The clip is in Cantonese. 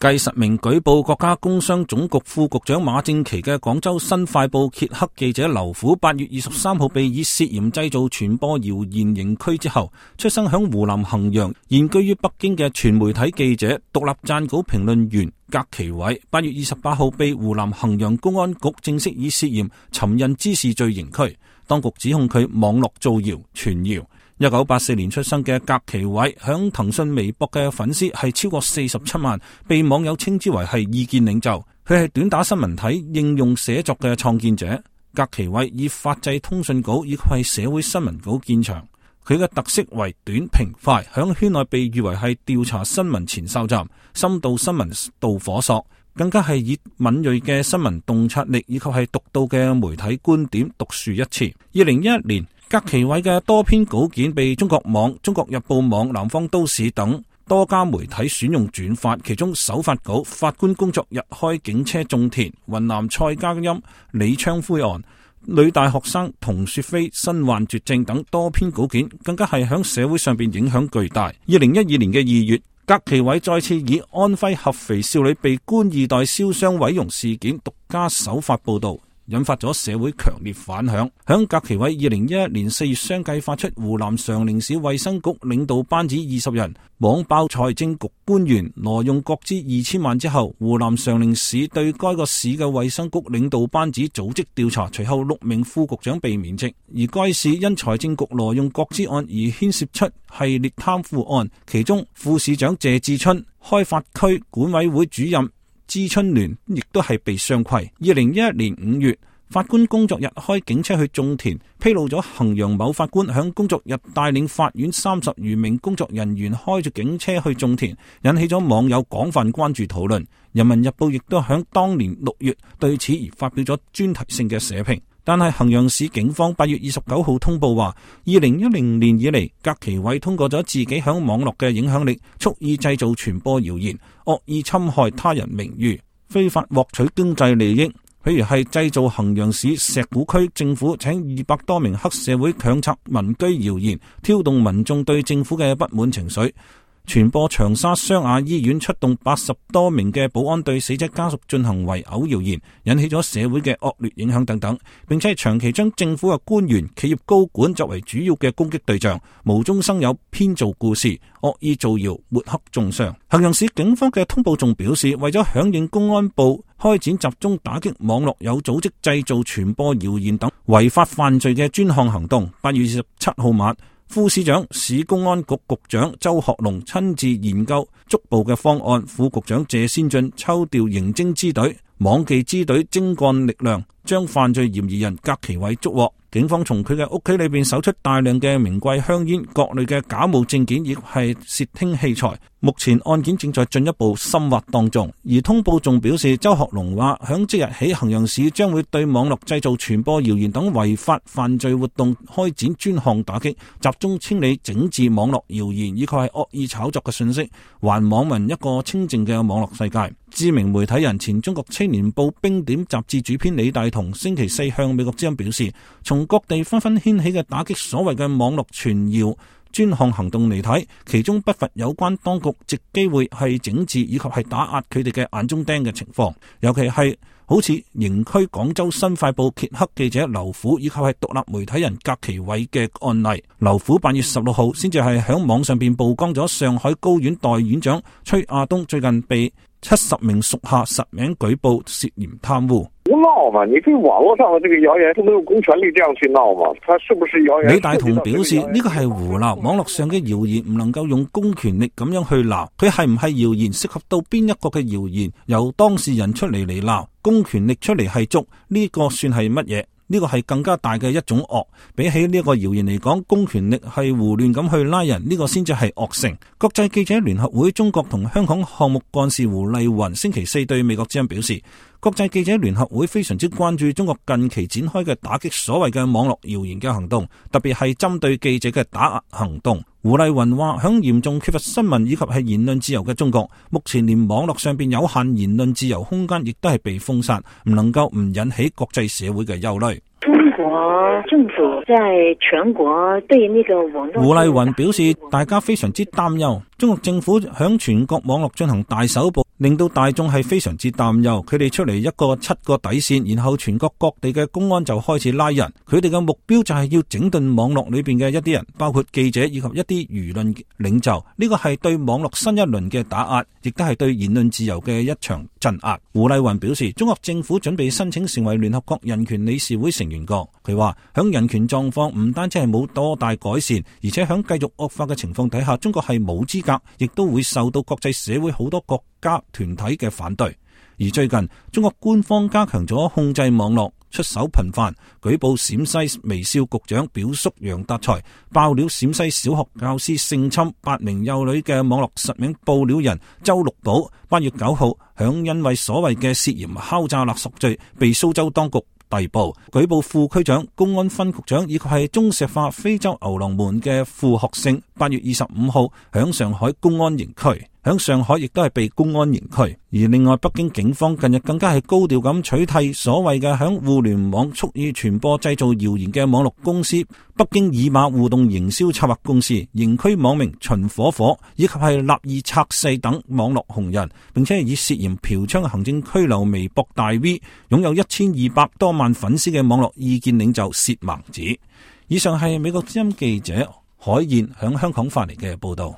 繼實名舉報國家工商總局副局長馬正祺嘅廣州新快報揭黑記者劉虎8月23號被以涉嫌製造傳播謠言刑拘之後，出生響湖南衡陽、現居於北京嘅全媒體記者、獨立撰稿評論員格其偉8月28號被湖南衡陽公安局正式以涉嫌尋釁滋事罪刑拘，當局指控佢網絡造謠傳謠。1984年出生嘅格其偉響騰訊微博嘅粉絲係超過47萬，被網友稱之為係意見領袖。佢係短打新聞體應用寫作嘅創建者。格其偉以法制通訊稿以及係社會新聞稿見長，佢嘅特色為短平快，響圈內被譽為係調查新聞前哨站、深度新聞導火索，更加係以敏銳嘅新聞洞察力以及係獨到嘅媒體觀點獨樹一幟。2011年，格其偉嘅多篇稿件被中國網、中國日報網、南方都市等多家媒體選用轉發，其中首發稿法官工作日開警車種田、雲南蔡家音李昌灰案、女大學生童雪飛身患絕症等多篇稿件，更加係響社會上邊影響巨大。2012年嘅2月，格其偉再次以安徽合肥少女被官二代燒傷毀容事件獨家首發報道，引發咗社會強烈反響。響格其偉2011年4月相繼發出湖南常寧市衛生局領導班子20人網爆財政局官員挪用國資2000萬之後，湖南常寧市對該個市嘅衛生局領導班子組織調查，隨後6名副局長被免職。而該市因財政局挪用國資案而牽涉出系列貪腐案，其中副市長謝志春、開發區管委會主任知春聯亦都係被雙規。2011年5月，法官工作日開警車去種田，披露咗衡陽某法官響工作日帶領法院30餘名工作人員開住警車去種田，引起咗網友廣泛關注討論。人民日報亦都響當年6月對此而發表咗專題性嘅社評。但係衡陽市警方8月29號通報話，2010年以嚟，格其偉通過咗自己響網絡嘅影響力，蓄意製造傳播謠言，惡意侵害他人名譽，非法獲取經濟利益。譬如係製造衡陽市石鼓區政府請200多名黑社會強拆民居謠言，挑動民眾對政府嘅不滿情緒，傳播長沙湘雅醫院出動80多名嘅保安對死者家屬進行圍毆謠言，引起咗社會嘅惡劣影響等等，並且係長期將政府嘅官員、企業高管作為主要嘅攻擊對象，無中生有編造故事，惡意造謠，抹黑中傷。衡陽市警方嘅通報仲表示，為咗響應公安部開展集中打擊網絡有組織製造傳播謠言等違法犯罪嘅專項行動，8月27號晚，副市長、市公安局局長周學龍親自研究捉捕嘅方案，副局長謝先進抽調刑偵支隊、網技支隊精幹力量，將犯罪嫌疑人格其偉捉獲。警方從佢嘅屋企裏邊搜出大量嘅名貴香煙、各類嘅假冒證件，亦係竊聽器材。目前案件正在進一步深挖當中。而通報仲表示，周學龍話響即日起，衡陽市將會對網絡製造傳播謠言等違法犯罪活動開展專項打擊，集中清理整治網絡謠言以及係惡意炒作嘅信息，還網民一個清淨嘅網絡世界。知名媒體人、前中國青年報冰點雜誌主編李大同星期4向美國之音表示，從各地紛紛掀起嘅打擊所謂嘅網絡傳謠專項行動嚟睇，其中不乏有關當局藉機會係整治以及係打壓佢哋嘅眼中釘嘅情況，尤其係好似刑拘廣州新快報揭黑記者劉虎以及係獨立媒體人格其偉嘅案例。劉虎8月16號先至係響網上邊曝光咗上海高院代院長崔亞東最近被70名屬下實名舉報涉嫌貪污。胡鬧嘛？你對網絡上的這個謠言，都沒有公權力這樣去鬧嘛？他是不是謠言？李大同表示呢個係胡鬧，網絡上嘅謠言唔能夠用公權力咁樣去鬧，佢係唔係謠言，涉及到邊一個嘅謠言，由當事人出嚟鬧，公權力出嚟係捉，呢個算係乜嘢？呢個係更加大嘅一種惡，比起呢個謠言嚟講，公權力係胡亂咁去拉人，呢個先至係惡性。國際記者聯合會中國同香港項目幹事胡麗雲星期4對美國之音表示，國際記者聯合會非常之關注中國近期展開嘅打擊所謂嘅網絡謠言嘅行動，特別係針對記者嘅打壓行動。胡麗雲話，響嚴重缺乏新聞以及係言論自由嘅中國，目前連網絡上邊有限言論自由空間亦都係被封殺，唔能夠唔引起國際社會嘅憂慮。中國政府在全國對那個網絡，胡麗雲表示，大家非常之擔憂中國政府響全國網絡進行大搜捕，令到大眾係非常之擔憂。佢哋出嚟7個底線，然後全國各地嘅公安就開始拉人。佢哋嘅目標就係要整頓網絡裏邊嘅一啲人，包括記者以及一啲輿論領袖。呢個係對網絡新一輪嘅打壓，亦都係對言論自由嘅一場鎮壓。胡麗雲表示，中國政府準備申請成為聯合國人權理事會成員國。佢話響人權狀況唔單止係冇多大改善，而且響繼續惡化嘅情況底下，中國係冇資格，亦都會受到國際社會好多國家團體嘅反對。而最近中國官方加強咗控制網絡，出手頻繁，舉報陝西微笑局長表叔楊達才，爆料陝西小學教師性侵8名幼女嘅網絡實名報料人周六寶8月9號響因為所謂嘅涉嫌敲詐勒索罪被蘇州當局逮捕，舉報副區長、公安分局長以及係中石化非洲牛郎門嘅傅學勝8月25號響上海公安刑區，響上海亦都係被公安刑區。而另外，北京警方近日更加係高調咁取締所謂嘅響互聯網蓄意傳播製造謠言嘅網絡公司北京以馬互動營銷策劃公司，刑拘網名秦火火以及係立意拆細等網絡紅人，並且以涉嫌嫖娼行政拘留微博大 V 擁有1200多萬粉絲嘅網絡意見領袖薛孟子。以上係美國之音記者海燕響香港發嚟嘅報道。